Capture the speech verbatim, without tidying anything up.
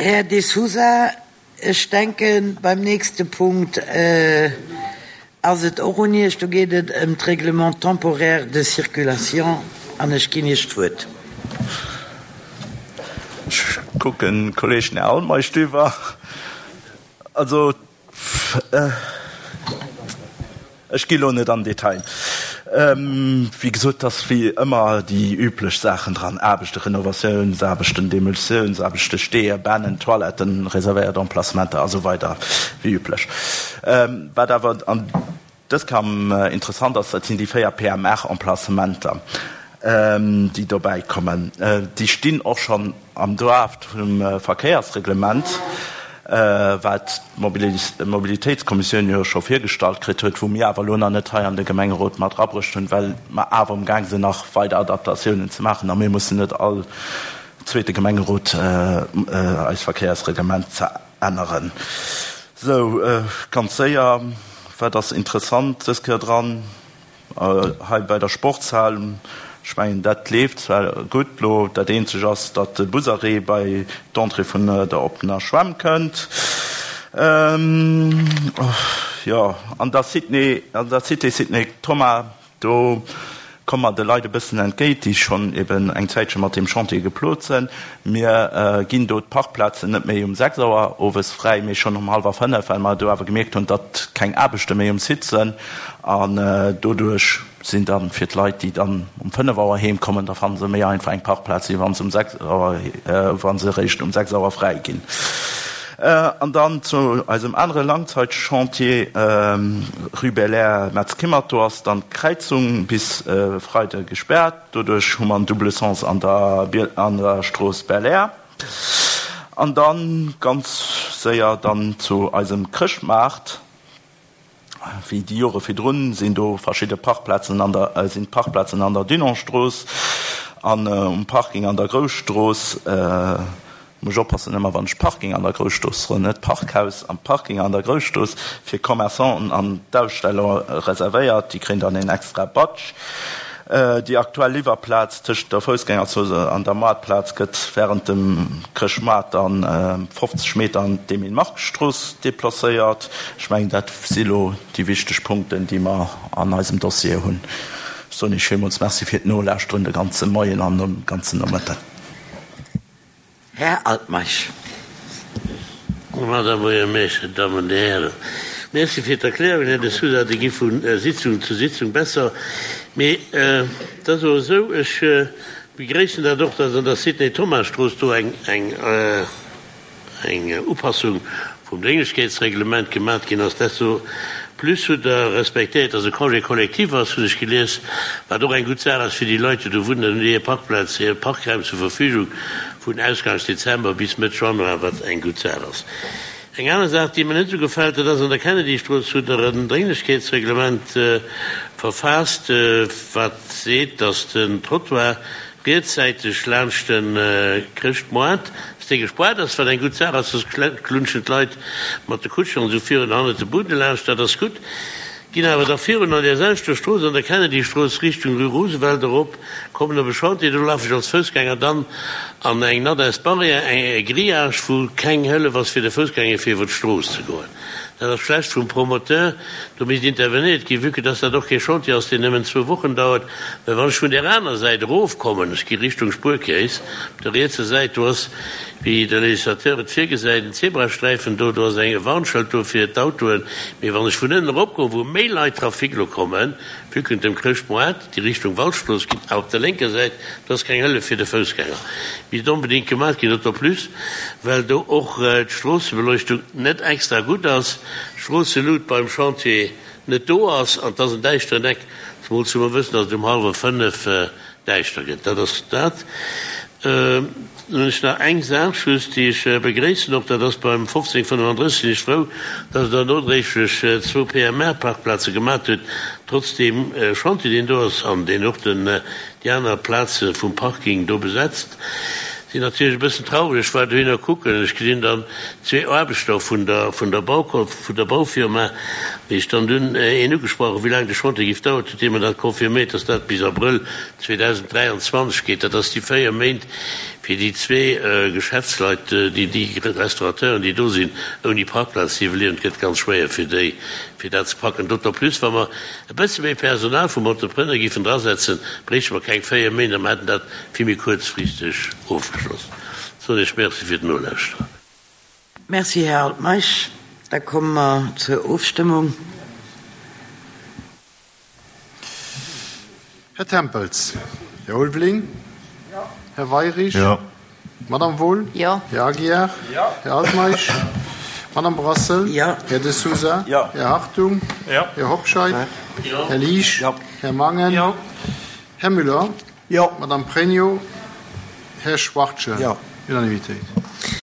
Här De Sousa, ech denken, beim nächste Punkt ass et och un Iech. Do geet et ëm d'Règlement temporaire de circulation an ech ginn Iech d'Wuert. Ech kucken d'Kolleegen Här Altmeisch driwwer. Also, ech gi lo net am Detail. Wéi gesot, et ass wéi ëmmer déi üblech Saachen dran, Aarbechten, Renovatiounsaarbechten, Demolitiounsaarbechten, Steeër, Bännen, Toiletten, reservéiert Emplacementer a sou weider, wéi üblech. Wat awer an dës Kam interessant ass, dat sinn déi véier P M R-Emplacementer, déi dobäi kommen. Déi stinn och schonn am Draft vum Verkéiersreglement, wat d'Mobilitéitskommissioun jo scho virgestallt kritt huet, wou mir awer elo nach net hei an de Gemengerot mat erabruecht hunn, well mer awer umgaang sinn, nach weider Adaptatiounen ze maachen a mir mussen net all zweete Gemengerot eist Verkéiersreglement ze änneren. Sou, ganz séier, wat ass interessant dës Kéier dran? Hei bei der Sportshal, ech mengen, dat leeft zwar gutt elo. Dat Eenzeg ass, datt de Busarrêt bei d'Entrée vun der oppener Schwämm kënnt. Jo, an der Cité, an der Cité Sidney Thomas, do komme mer de Leit e bëssen entgéint, déi schonn eben eng Zäitche mat deem Chantier geplot sinn. Mir ginn do d'Parkplazen net méi um sechs Auer owes fräi, mee schonn um hallwer fënnef, well mer do awer gemierkt hunn, datt keng Aarbechte méi um Site sinn. An doduerch sinn dann fir d'Leit, déi dann um fënnef Auer heem kommen, da fanne se méi einfach eng Parkplaz, wéi wa se um sechs Auer, wa se eréischt um sechs Auer fräi ginn. An dann zu eisem anere Langzeitchantier, Rue Belair, Metz-Kimmert, do ass dann d'Kräizung bis Freide gespaart. Doduerch hu mer en double Sens an der, an der Strooss Belair. An dann ganz séier dann zu eisem Chrëschtmaart. Wéi déi Jore virdrun sinn do verschidde Parkplazen an der, sinn d'Parkplazen an der Dunantstrooss an um Parking an der Grousstrooss. Muss ech oppassen ëmmer wann ech Parking an der Grousstrooss soen, net Parkhaus, am Parking an der Grousstrooss fir Commerçanten an d'Aussteller reservéiert. Déi kréien dann een extra Badge. Déi aktuell Liwwerplaz tëscht der Foussgängerzone an der Moartplaz gëtt wärend dem Chrëschtmoart dann fofzeg Meter an d'Emile-Mark-Strooss deplacéiert. Ech mengen, dat si lo déi wichteg Punkten, déi mer an eisem Dossier hunn. Ech soen Iech villmools Merci fir d'Nolauschteren de ganze Moien an de ganzen Nomëtten. Här Altmeisch. Madame Buergermeeschter, Dammen und Hären, merci fir d'Erklärung, Här De Sousa, déi gi vu Sitzung zu Sitzung besser. Mee et ass awer esou, ech begréissen dat och, dass an der Sidney-Thomas-Strooss do eng, eng, eng Upassung vum Drénglechkeetsreglement gemat ginn ass. Desto plus hutt Der respektéiert, dass e Congé collectif ass, hunn ech gelies, wat och eng gutt Saach ass fir déi Leit, déi do wunnen. Dann hunn déi hir Parkplaz, hir Parkraum zur Verfügung vun Ausgangs Dezember bis Mëtt Januar, wat eng gutt Saach ass. Eng aner Saach, déi mer net esou gefält, dat ass, an der Kennedy-Strooss hutt Der en Drénglechkeetsreglement verfaasst, wat seet, dass den Trottoir rietssäiteg laanscht de Chrëschtmoart, dass dee gespaart ass, wat eng gutt Saach ass, soss klunschen d'Leit mat de Kutschen an esou virun hannert de Bude laanscht, dat ass gutt. Ginn awer da virun an där selwechter Strooss, an der Kennedy-Strooss Richtung Rue Roosevelt erop, kommen op e Chantier, do lafe ech als Foussgänger dann an eng natt Barrière, e Grillage, wou keng Hëllef ass fir de Foussgänger fir iwwer d'Strooss ze goen. Dat ass schlecht vum Promoteur, do misst intervenéiert ginn, vue que dass dat och kee Chantier ass, deen nëmmen zwou Wochen dauert. Well wann ech vun där aner Säit erofkommen, ech gi Richtung Spuerkeess, op der rietser Säit, do ass, wéi de Législateur et virgesäit, en Zebrasträifen do, do ass eng e Warnschëld do fir d'Autoen. Mee wann ech vun ënnen eropkomm, wou méi Leit Trafic elo kommen, vue que dem Chrëschtmoart déi Richtung Waldstrooss ginn, awer op der lénker Säit, do ass keng Hëllef fir de Foussgänger. Misst onbedéngt gemaach ginn, d'autant plus well do och d'Stroossebeleuchtung net extra gutt ass, d'Stroosselut beim Chantier net do ass an et ass en däischteren Eck, zemools wou mer wëssen, datt et um hallwer fënnef däischter gëtt. Dat ass dat. Dann hunn ech nach eng Saach just, déi ech begréissen och, dat ass beim fofzéng fënnefandrësseg sinn ech frou, dass Der nodréiglech zwou P M R-Parkplaze gemat hutt, trotz deem Chantier, deen do ass an deen och den, déi aner Plaze vum Parking do besetzt. Sinn natierlech e bëssen traureg, ech war dohinner kucken, ech gesinn dann zwee Aarbechter vun der, vun der Bau, vun der Baufirma, Wéi ech dann dunn een ugesprach hunn, wéi laang de Chantier géif daueren, huet dee mer dat confirméiert, dass dat bis Abrëll zweedausenddräianzwanzeg geet. Dat ass déi véier Méint fir déi zwee Geschäftsleit, déi, déi Restaurateuren, déi do sinn, ouni Parkplaz ze iwwerliewen. Et gëtt ganz schwéier fir déi, fir dat ze packen. D'autant plus, wa mer e bësse méi Personal vum Entrepreneur géifen drasetzen, bréichte mer keng véier Méint a mer hätten dat vill méi kuerzfristeg ofgeschloss. Soen Iech Merci fir d'Nolauschteren. Merci, Här Altmeisch. Da komme mer zur Ofstëmmung. Här Tempels. Här Ulveling. Här Weirich. Madame Wohl. Här Aguiar. Här Altmeisch. Madame Brassel. Här De Sousa. Här Hartung. Här Hobscheit. Här Liesch. Här Mangen. Här Müller. Madame Pregno. Här Schwachtgen. Unanimitéit.